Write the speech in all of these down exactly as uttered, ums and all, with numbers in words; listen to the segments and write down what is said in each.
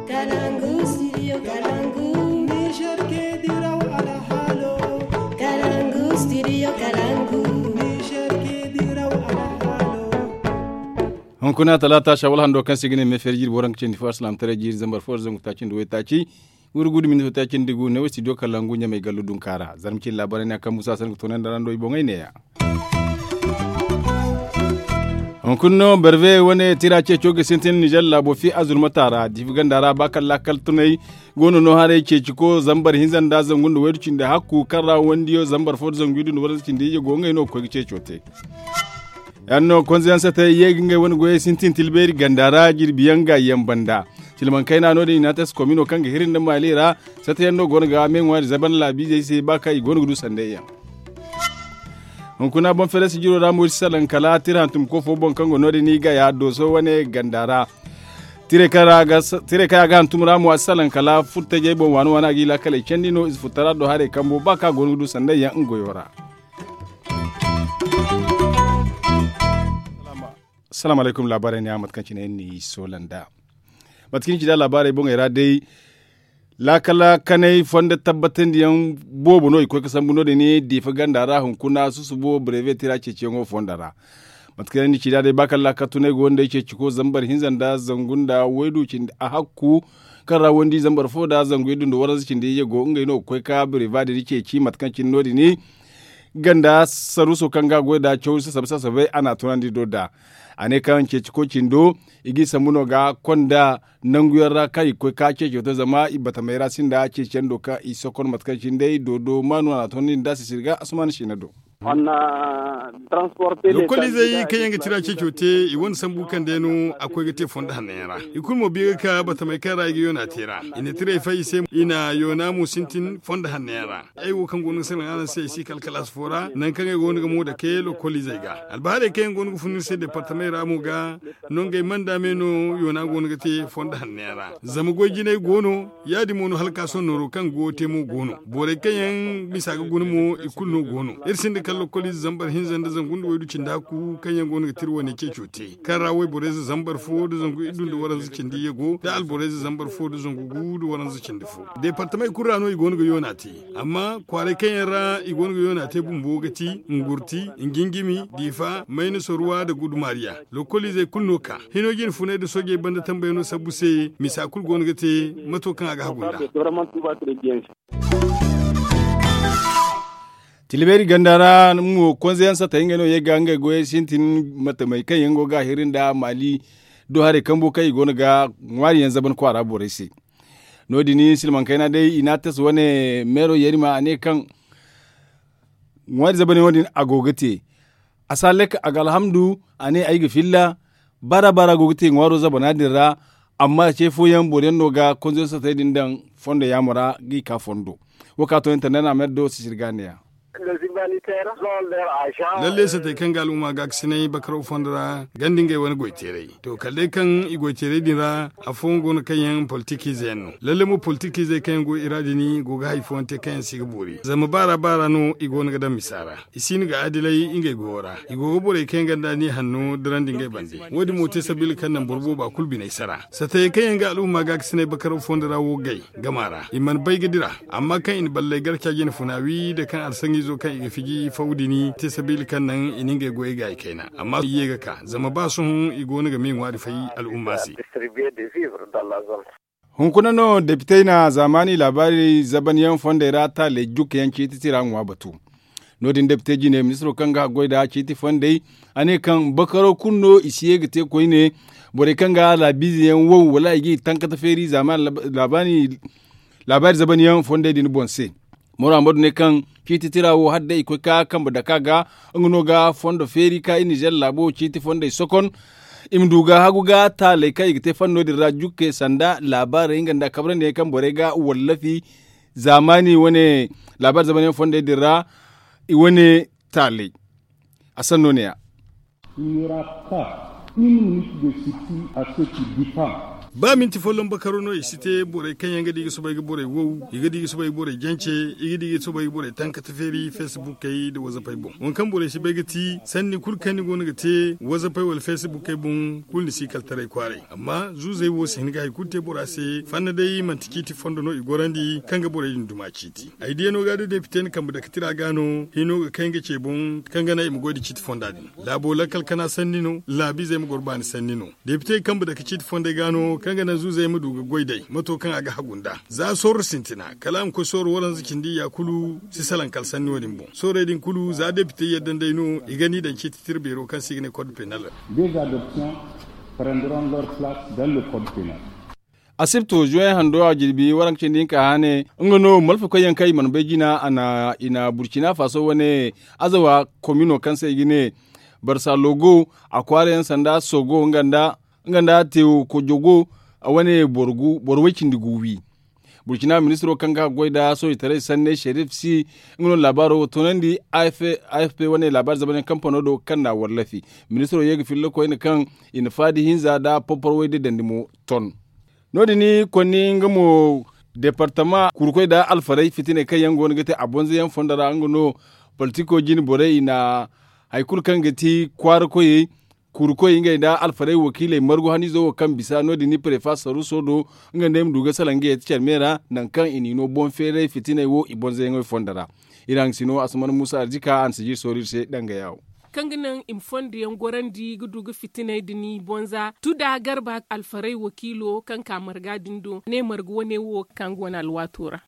Kalangu studio kalangu. Niger ke diraw alhalo. Kalangu studio kalangu. Niger ke diraw alhalo. Hunkuna talaata shawal hando kaŋ se ga ne meefer jiiri booraŋ ga cindi fo alsilaamataray jiiri zambar fo da zangu taaci nda waytaaci. Wuri gudu minti taaci nda gu ne wo studio kalangu ɲamay gallu dunkaara zarma cindi laabaray ne a kaŋ musa sanni ga toonandi ra ndo i boŋey neeya. Hunkuna no barbe wane tira ceeco ga sintin nizer laabo fi azurmata ra difi ganda ra ba kaŋ laakal tunay. Goono no haray ceeci ko zambar hinza nda zangu nda waydu cindi hakku kaŋ ra wandiyo zambar fo da zangu iddu nda waranza cindi iyye go ngey no ga koy ga ceeco te. Yaŋ no konze yaŋ sata ye ga ngey wane goyey sintin tilbeeri ganda ra jirbi yaŋ ga yaŋ banda. Tilmankayna no- din i na a te si komino kaŋ ga hiri nda maali ra. Sata yaŋ no go no ga me ŋwaari zaban laabiizey se ba kaŋ i go no ga du sanday yaŋ. Hunkuna boŋ feere sijiro ra mo i si salaŋ kala tira hantumko fo boŋ kaŋ go no- din i ga ya dooso wane ganda ra. Tirey kaŋ a ga hantum ra mo a si salaŋ kala furtajey boŋ waani waani a ga i laakaley candi no i si furtara do haray kambo ba kaŋ a go no ga du sanday yaŋ nga goyo ra. Salaamu alaykum laabaarey ne a mate kaŋ cine yaŋ ni soola nda mate kaŋ ni ci nda laabaarey boŋey ra day. Laakala kanay fondo tabbatandiyaŋ boobo no i koy ga sambu no- din diifa ganda ra hunkuna susubo brevet tira ceeciyaŋo fondo ra. Mate kaŋ yaŋ ni ci nda day ba kaŋ laakala tunay go nda ay ceeci ko zambar hinza nda zangu nda waydu cindi a hakku kaŋ ra wandi zambar fo nda zangu iddu nda waranza cindi iyye go ngey no ga koy ka brevet din ceeci mate kaŋ cine no- din ganda saruuso kaŋ ga a goy nd'a caw sasabay sasabay a n'a tunandi do nd'a. A ne kaŋ ceeci koy cindo i g'i sambu no ga konda nangu yaŋ ra kaŋ i ga koy ka ceeco te zama i batamey ra sinda ceeciyaŋ do kaŋ i sokon mate kaŋ cine day doodo maanu a n'a tunandi nd'a sisiri ga asumaana siina do. Lokoliizey kaŋ yaŋ ga tira ceeco te i wane sambu kaŋ day no a koy ga te fondo hanno yaŋ ra. I kulu mo biya ga ka batamey kaŋ ra i ga yoona te ra. I na tirey fay i se i na yoona mo sintin fondo hanno yaŋ ra. Ay wo kaŋ go no ga salaŋ araŋ se ay si kala kalaasi fo ra nangu kaŋ ay go no ga mo dake lokoliizey ga. Albahaarey kaŋ yaŋ go no ga fun iri se deepartamey ra mo ga no ngey manda me no yoona go no ga te fondo hanno yaŋ ra. Zama goy jinay go no ya- din mo no hala ka sohõ nooro kaŋ go ga te mo go no borey kaŋ yaŋ misa ga guna mo i kulu no go no. Iri sinda kala lokoliize zambar hinza nda zangu nda waydu cindi hakku kaŋ yaŋ go no ga tira wane ceeco te kaŋ ra wayborey ze zambar fo nda zangu iddu nda waranza cindi iyye go nda alborey ze zambar fo nda zangu gu nda waranza cindi fo. Deepartamey kulu ra no i go no ga yoona te. Amma kwaaray kaŋ yaŋ ra i go no ga yoona te bumbo ga ti ngurti, njinjimi, diifa, mayna soruwa nda gudumaariya. Lokoliizey kulu no ka hino jine funay nda soojey banda tambayano sabbu se misa kulu go no ga te mato kaŋ a ga hagu nd'a. Tilbeeri ganda ra mo konze yaŋ satay ngey no ye ga ngey goyey sintin matamey kaŋ yaŋ go ga a hiri nda maali do haray kambo kaŋ i go no ga ŋwaari yaŋ zaban kwaara borey se. No- din silmaŋ kayna day i n'a tasa wane meero yarima a ne kaŋ ŋwaari zabanyaŋo din a go ga te. A si hallaka a ga alhamdu a ne ay ga filla. Baara baara go ga te ŋwaaro zabana din ra. Amma ce fooyaŋ boro yaŋ no ga konzoyaŋ satay din daŋ fondo yaamo ra ga i ka fondo. Wo ka to internet na mer do sisiri ga neeya. Lalle satay kaŋ ga al'umma gaakasinay bakaraw fondo ra ganda ngey wane goy teeray. To kala day kaŋ i goy teeray din ra afooyaŋ go no kaŋ yaŋ politikiize yaŋ no lalle mo politikiizey kaŋ yaŋ go i ra din go ga hari fooyaŋ te kaŋ yaŋ si ga boori zama baara baara no i go no ga daŋ misa ra. I si hin ga adilay ngey goyo ra. I go ga borey kaŋ yaŋ ganda ni hanno dirandi ngey bande. Wo- din mo te sabiila kaŋ naŋ boro booba kulu biney sara satayey kaŋ yaŋ ga al'umma gaakasinay bakaraw fondo ra wo gay gama ra i mana bay ga dira. Amma kaŋ i na balley gar caaji na funa wi nda kaŋ arsaŋizo kaŋ i ga fiji faw din te sabiila kaŋ naŋ i na ngey goyey gaayi kayna amma i ye ga ka zama ba sohõ i go no ga me ŋwaari fay al'umma se. Hunkuna no depitey na zaamaani laabaari zabanyaŋ fondey ra taaley jukkayaŋ ciiti tira ŋwa batu. No- din depite jine ministiro kaŋ ga haggoy nd'a ciiti fondey a ne kaŋ bakaro kulu no i si ye ga te koyne. Borey kaŋ ga laabiize yaŋ wow wala i g'i tankata feeri zaamaani laabaari zabanyaŋ fondey din boŋ se. Moro amadu ne kaŋ ciiti tira wo hala day i koy ka kambe dake a ga nga no ga fondo feeri ka i nizer laabo ciiti fondey sokon. I ma du ga hagu ga taaley kaŋ i ga te fanno din ra jukke sanda laabaarey nga nda kabrandi yaŋ kaŋ borey ga wallafi zaamaani wane laabaari zamanyaŋ fondey din ra. I wane taaley a sanno ne ya. Une minute de sursis à ceux qui diffament. Ba minti folloŋ bakaro no i si te borey kaŋ yaŋ ga di ga soobay ga borey wow, i ga di ga soobay ga borey jance, i ga di ga soobay ga borey tankata feeri fesbuukey nda wazapey boŋ. Waŋ kaŋ borey si bay ga ti sanni kulu kaŋ ni go no ga te wazapey wala fesbuukey boŋ, kulu ni si kala taray kwaaray. Amma zuuzey wo si hin ga hari kulu te bora se. Fanna day manti ciiti fondo no i gorandi kaŋ ga borey din duma ciiti. Ay diyano ga da depite ni kambe dake tira ga no hino ga kay nga ce boŋ, kaŋ ga naŋ i ma goy da ciiti fonda din. Laabo lakkal kana sanni no, laabiizey ma goro baani sanni no. Depite kambe dake ciiti fondey ga no kaŋ ga naŋ zuuzey ma du ga goy day mato kaŋ a ga hagu nd'a. Za sooro sintina kala a ma koy sooro waranza cindi ya kulu si salaŋ kala sanni wo- din boŋ. Soorey din kulu za depite yadda nd'ey no i ga ni daŋ ciiti tira beero kaŋ se i ga ne kod penal. Des adoptions prendront leur place dans le code penal. Asibto juwaŋ hando a jirbi waranka cindi hinka hane nga no malfa koy yaŋ kaŋ i mana bay jina a na i na burcina faso wane azawa komino kaŋ se i ga ne barsa logo a kwaara yaŋ sanda sogo nga nda tewo kojogo a wane boro way cindi gu wi. Burcina ministiro kaŋ ga goy nda soojitaray sanne sherif si nga no laabaaro wo toonandi. Afp wane laabaari zamanyaŋ kampano do kaŋ na a wallafi. Ministiro ye ga filla koyne kaŋ i na faadi hinza nda porpor way day dandi mo ton. No- din konni nga mo departama kurkoy nda alfarey fitiney kaŋ yaŋ go no ga te a bonzo yaŋ fondo ra nga no politiko jine borey i na hari kulu kaŋ ga ti kwaara koyey kurkoy ngey nda alfarey wakiiley margu haniizo wo kaŋ bisa no- din ni prefa saruso do nga nda ay ma du ga salaŋ ga yeti care me ra nangu kaŋ i n'i no boŋ feeray fitiney wo i bonzo yaŋey fondo ra. Iri haŋ si no a si mana muusa arzika a na si jiri soori iri se danga yaawo. Kaŋ ga naŋ i ma fondo yaŋ gorandi ga du ga fitiney din i bonza tuda garba alfarey wakiilo kaŋ ka marga din do ne marga wane wo kaŋ go no alwaato ra.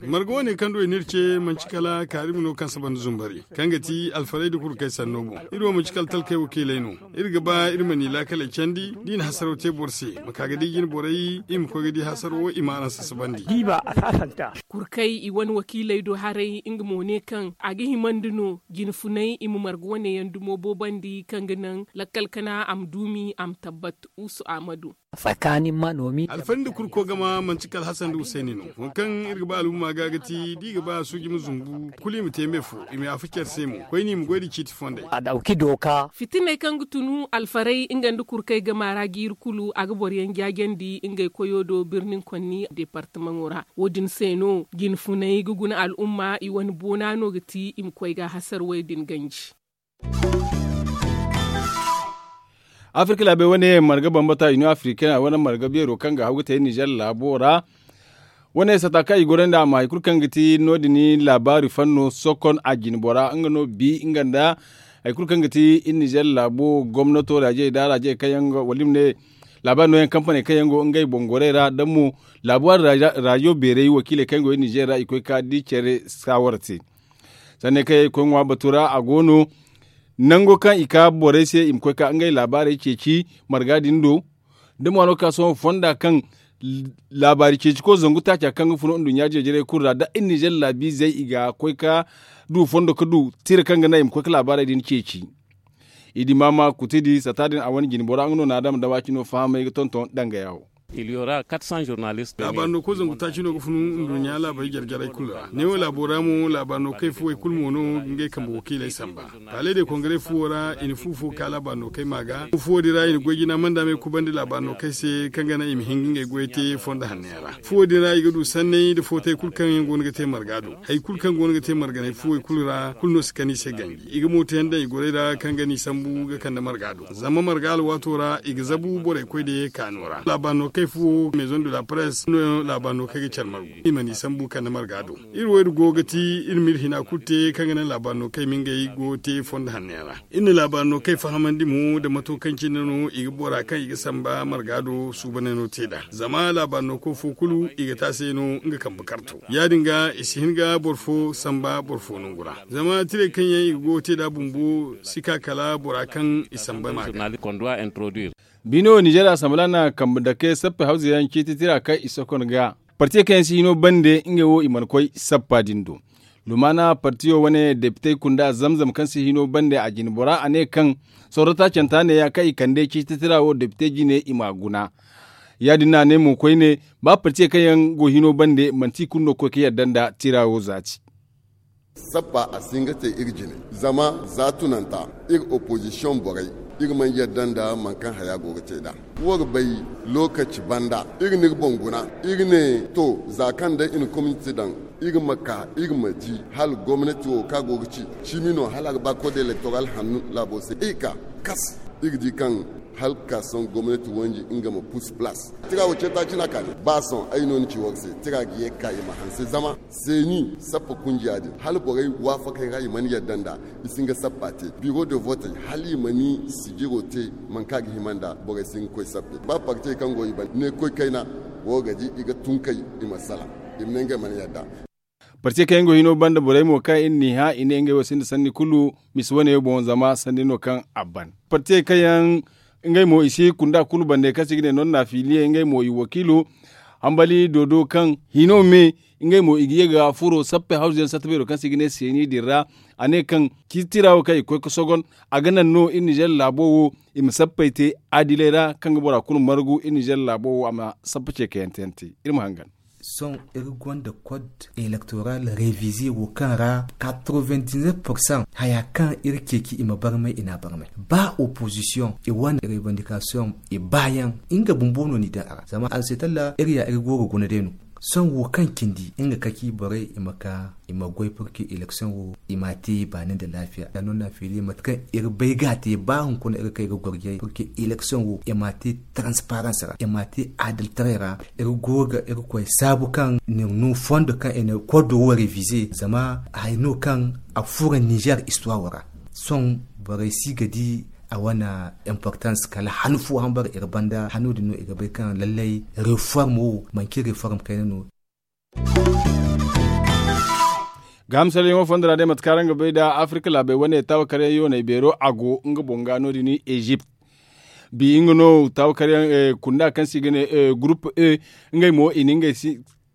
Marga wane kaŋ do i n'iri ce manci kala kaarimi no kaŋ saba nda zumbari kaŋ ga ti alfarey nda kurkey sanno boŋ. Iri wo manci kala talkey wakiiley no. Iri ga ba iri ma ni laakaley candi da i na hasaraw te boro se ma ka ga di jine borey i ma koy ga di hasaro i ma araŋ sasabandi. Kurkey i wane wakiiley do haray nga mo ne kaŋ a ga himandi no jine funay i ma marga wane yaŋ dumo boobandi kaŋ ga naŋ lakkal kana a ma duumi a ma tabbat. Usu ahmadu. Alfari nda kurko gama manti kala hasan nda husayni no. Waŋ kaŋ iri ga ba alhumma ga ga ti da i ga ba suuji ma zumbu kulu i ma te me fo i ma yaafa care se mo koyne i ma goy nda ciiti fondey. Fitiney kaŋ ga tunu alfaray nga nda kurkey gama ra ga iri kulu a ga boro yaŋ jaajandi ngey koyo do birnin konni departamaŋo ra. Wo- din se no jine funay ga guna alhumma i wane boona no ga ti i ma koy ga hasarwey din ganji. Afirka laabey wane marga bambata union africaine a wane marga beero kaŋ ga haw ga te nizer laabo ra. Wane sata kaŋ i gorandi a ma hari kulu kaŋ ga ti no- din laabaari fanno sokon a jine bora nga no bi nga nda hari kulu kaŋ ga ti nizer laabo gomnato raajey da raajey kaŋ yaŋ wala i ma ne laabaari nooyaŋ kampaney kaŋ yaŋ go ngey boŋ gorey ra da mo laabaari raajo beerey wakiiley kaŋ yaŋ go nizer ra i koy ka di care saawara te. Sanni kaŋ yaŋ i koy ŋwa batu ra a go no nango kaŋ i ka borey se i ma koy ka ngey laabaarey ceeci marga din do. Da mo a no ga ka sohõ fonda kaŋ laabaari ceeciko zangu taaca kaŋ ga funu nduɲɲa jeejirey kulu ra da iri nizer laabiizey i ga koy ka du fondo ga du tira kaŋ ga naŋ i ma koy ga laabaarey din ceeci. I di maama kutidi sata din a wane jine bora nga no na adama da waaci no fahamay ga tonton danga yawo. Laabaari no koy zangu taaci no ga funu nduɲɲa laabaari jare jarey kulu ra neewo laabo ra mo laabaari no kay fuwey kulu mo no ga ngey kambe wakiiley samba. Palais de congrès fuwo ra i na fu fo ka laabaari no kay ma ga fuwo din ra i na goy jina manda me kubandi laabaari no kay se kaŋ ga naŋ i ma hin ga ngey goyey te fondo hanno yaŋ ra. Fuwo din ra i ga du sanney nda footay kulu kaŋ yaŋ go no ga te marga do hari kulu kaŋ go no ga te marganay fuwey kulu ra kulu no si kan i se ganji i ga mooto yaŋ daŋ i gorey ra kaŋ ga n'i sambu ga kande marga do zama marga alwaato ra i ga zabu borey koy da ye kaano ra laabaari no kay fuwo maison de la presse no laabaari no kay ga care margu i ma n'i sambu kande marga do. Iri wo iri go ga ti iri ma iri hina kulu te kaŋ ga naŋ laabaari no kay ma ngey go te fondo hanno yaŋ ra. Iri na laabaari no kay fahamandi mo nda mato kaŋ cine no i ga bora kaŋ i ga samba marga do suubaney no te nd'a zama laabaari no koy fo kulu i ga te a se no nga kambe karto ya- din ga i si hin ga boro fo samba boro fo nangu ra zama tirey kaŋ yaŋ i ga go ga te nd'a bumbo si ka kala bora kaŋ i samba ma ga. Bino nizer asamblea na kambe dake sappe hawza yaŋ ciiti tira kaŋ i sokon ga partiye kaŋ yaŋ si hino bande ngey wo i mana koy sappa din do. Lumana partiyo wane depitey kunda zamzam kaŋ si hino bande a jine bora a ne kaŋ sorro taacanta neeya kaŋ i kande ciiti tira wo depite jine i m'a guna. Ya- din no a ne mo koyne ba partiye kaŋ yaŋ go hino bande manti i kulu no ga koy ga yadda nda tira wo zaati. Sappa a si hin ga te iri jine zama za tunanta iri opozisiyoŋ borey Iri mana yadda nda mankaŋ haya go ga te nd'a. Wo ga bay, lokaci banda iri n'iri boŋ guna. Iri ne to, za kaŋ day i na komite daŋ, iri ma ka iri ma di hala gomnati wo kaŋ a go ga ci cimi no hala a ga ba kode elektoral hannu laabo se. Iri ka kas, iri di kaŋ hala ka sohõ gomnati wanji nga ma pus plas. Tira wo ce taaci no a kaani ba sohõ ay no ni ci war se. Tira ga ye ga ka i ma hanse zama seeni sappa kunjiya din hala borey waafakey ra i mana yadda nd'a. I si hin ga sappa te biro de votey hala i ma ni sijiro te. Manka ga hima nda borey si hin ga koy sappe ba partey kaŋ go i banda ne koy kayna. Wo ga di i ga tun kay i ma salaŋ i ma ne ngey mana yadda. Partey kaŋ yaŋ go hino banda borey mo kaŋ i n'i hã i ne ngey wo sinda sanni kulu misi wane boŋ zama sanni no kaŋ a ban. Partey kaŋ yaŋ ngey mo i si kunda kulu bande kaŋ se i ga ne non na filiye ngey mo i wakiilo hambali doodo kaŋ hino me. Ngey mo i ga ye ga furo sappe hawzu yaŋ satta beero kaŋ se i ga ne seeni din ra. A ne kaŋ ciiti tira wo kaŋ i ga koy ga sogon a ga naŋ no iri nizer laabo wo i ma sappey te adiley ra kaŋ ga bora kulu margu iri nizer laabo wo a ma sappa ce kayante yaŋ te. Iri ma hangan. Sohõ iri gonda kod elektoral revize wo kaŋ ra katrovendineef porsan haya kaŋ iri ceeci i ma barmay i n'a barmay ba opozisiyoŋ i wane revandikasiyoŋ i baayaŋ. Nga bumbo no ni daŋ a ra zama a se talla iri ya iri go ga guna day no. Sohõ wo kaŋ cindi nga kaci borey i ma ka i ma goy purke eleksiyoŋ wo i m'a te baani nda laafiya da no na feeli mate kaŋ iri bay ga a te ba hunkuna iri kay ga gorjay purke eleksiyoŋ wo i m'a te taransiparans ra i m'a te adaltaray ra. Iri go ga iri koy saabu kaŋ ni no fondo kaŋ i na kodo wo revize zama hari no kaŋ a furo nizer istuwaro ra. Sohõ borey si ga di a wane importans kala han fo hambara iri banda hano din no i ga bay kaŋ lallay reform wo manci reform kayna no. Gahamsalyaŋo fondo ra day mate kaŋ araŋ ga bay nda afirka laabey wane taawakaryaŋ yoonay beero a go nga boŋ ga no- din ezipt. Bi nga no taawakaryaŋ kunda kaŋ se i ga ne gurup e ngey mo i na ngey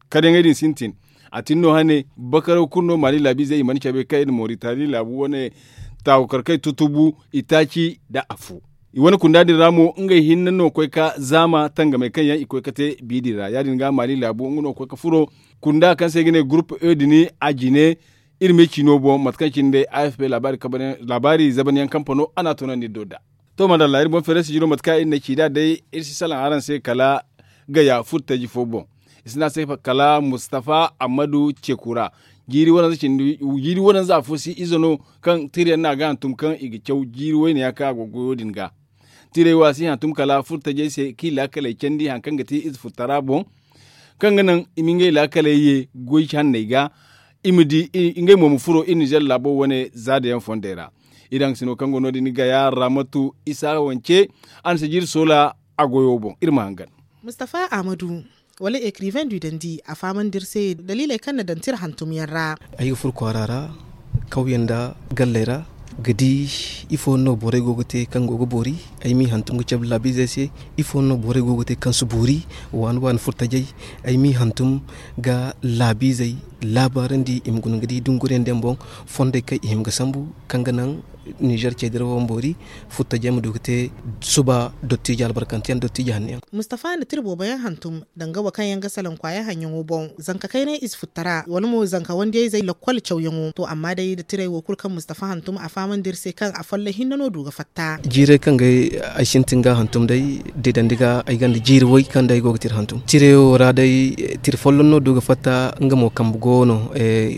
karyaŋey din sintin. A tin no hane bakaraw kulu no maali laabiizey i mana cabe kaŋ i na moritani laabu wane taawakarkey tutubu itaaci nda afo. I wane kunda din ra mo ngey hinne no koy ka zaama tangamey kaŋ yaŋ i koy ga te bi din ra ya- din ga maali laabu nga no koy ga furo kunda kaŋ se i ga ne gurup e din a jine. Iri ma ay ciino boŋ mate kaŋ cine day a f p laabaari zabanyaŋ kampano a n'a toonandi iri do nd'a. To madalla iri boŋ feere sijiro mate kaŋ iri na ci nd'a day iri si salaŋ araŋ se kala gaya furtaji fo boŋ. I si ne a se kala mustafa ammadu cekura. Jiiri waranza afo si ize no kaŋ tirayaŋ no a ga hantum kaŋ i ga caw jiiri wayne yaŋ kaŋ a go goyo din ga. Tirey wo a si hantum kala furtajey se kaŋ i laakaley candi hari kaŋ ga ti ize furtara boŋ. Kaŋ ga naŋ i ma ngey laakaley ye goy hanney ga i ma di ngey mo ma furo iri nizer laabo wane zaadayaŋ fondey ra. Iri haŋ sino kaŋ go no- din gaya ramatu isa wance a na si jiiri soola a goyo boŋ iri ma hangan. Mustafa ahmadu wala ekriven du dandi a fahamandi iri se daliiley kaŋ na daŋ tira hantum yaŋ ra. Ay ga furo kwaara ra kawyaŋ nda galley ra ga di ifo no borey go ga te kaŋ go ga boori. Ay m'i hantum ga cabe laabiizey se ifo no borey go ga te kaŋ si boori waani waani furtajey. Ay m'i hantum ga laabiizey laabaarandi i ma guna ga di dunguriyaŋ din boŋ fondey kaŋ i hima ga sambu kaŋ ga naŋ nizer cey dirawo ma boori. Furtajey ma du ga te suba dottijo albarkanteyaŋ dottijo hanno yaŋ. Mustafa na tira boobo yaŋ hantum danga wo kaŋ yaŋ ga salaŋ kwaaya haŋyaŋo boŋ zanka kaynay ize futtara wala mo zanka wandiyayzey lakkol cawyaŋo to amma day nda tirey wo kulu kaŋ mustafa hantum a fahamandi iri se kaŋ afolloŋ hinne no du ga fatta. Jiirey kaŋ ga ay sintin ga hantum day deedandi ga ay gonda jiiri way kaŋ day ay go ga tira hantum tirayo ra day tira folloŋ no du ga fatta. Nga mo kambe go no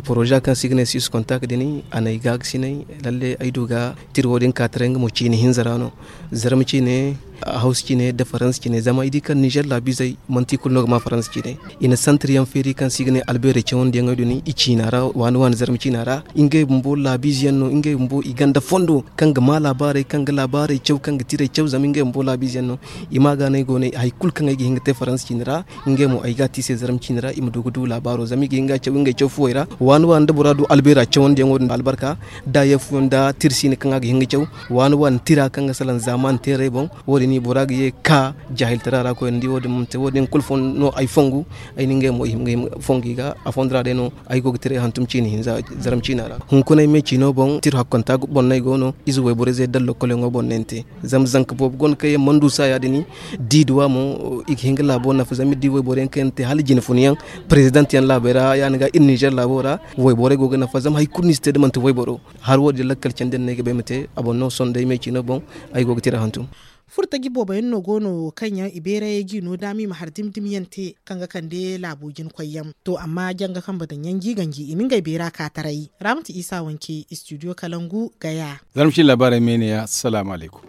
poroza kaŋ se i ga ne six kontak din a na ay gaakasinay lalle ay du ga tira wo- din ka taray nga mo ciine hinza ra no. Zarma ciine hawsa ciine nda faransa ciine zama ay di kaŋ nizer laabiizey manti kulu no ga ma faransa ciine. I na santir yaŋ feeri kaŋ se i ga ne albeerey cawandiyaŋey din i ciina ra waani waani zarma ciina ra. Ngey bumbo laabiize yaŋ no ngey bumbo i gonda fondo kaŋ ga ma laabaarey kaŋ ga laabaarey caw kaŋ ga tirey caw zama ngey bumbo laabiize yaŋ no. I ma ga no ay go no hari kulu kaŋ ay ga hin ga te faransa ciine ra. Ngey mo ay ga a te i se zarma ciine ra i ma du ga du laabaaro zama i ga hin ga a caw ngey caw fuwey ra waani waani nda bora du albeera cawandiyaŋo din albarka. Da yeefuyaŋ nda tira siine kaŋ a ga hin ga caw waani waani tira kaŋ ga salaŋ zaamaani teerey boŋ. Wo- din Ni bora ga ye ga ka jaahiltara ra koyne ni di wo- din manti wo- din kulu fondo no ay fongu. Ay na ngey mo i hima ga fongu i ga a fondo ra day no. Ay go ga tira ay hantum ciina hinza zarma ciina ra. Hunkuna ay me ciino boŋ tira hakkanta boŋ no ay go no ize wayborey zey da lokol yaŋo boŋ no ay na te. Zama zanka boobo go no kaŋ yaŋ mana du saaya din. Di duwa mo i ga hin ga laabo nafa zama iri di wayboro yaŋ kaŋ yaŋ na te hala jine fun yaŋ. President yaŋ laabey ra ya- din ga iri nizer laabo ra. Wayborey go ga nafa zama hari kulu no i si te da manti wayboro. Hari wo- din lakkal candi yaŋ no ay ga ba ay ma te a boŋ no sohõ day me ciino boŋ. Ay go ga tira hantum. Furtaji boobo yaŋ no go no kaŋ yaŋ i beerayey g'i no daama i ma hari dimi dimi yaŋ te kaŋ ga kande laabo jina koy yaŋ. To amma janga kambe daŋ yaŋ g'i ganji i na ngey beera ka taray. Raamatu isa wanke istidiyo kalangu gaya. Zarma ciina laabaarey me ne ya salaamu alaykum.